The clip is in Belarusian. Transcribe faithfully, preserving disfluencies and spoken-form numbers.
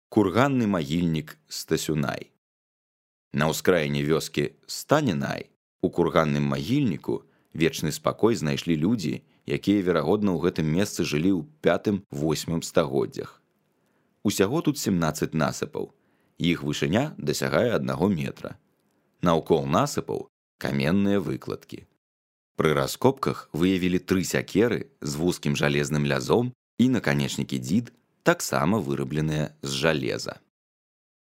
Курганны магільнік Стасюнай. На ўскраіне вёскі Станінай у курганным магільніку вечны спакой знайшлі людзі, якія, верагодна, ў гэтым месцы жылі ў пятым-восьмым стагоддзях. Усяго тут семнаццаць насыпаў, іх вышыня дасягае аднаго метра. Наўкол насыпаў каменныя выкладкі. Пры раскопках выявілі тры сякеры з вузкім жалезным лязом і наканечнікі дзід, таксама вырабленыя з жалеза.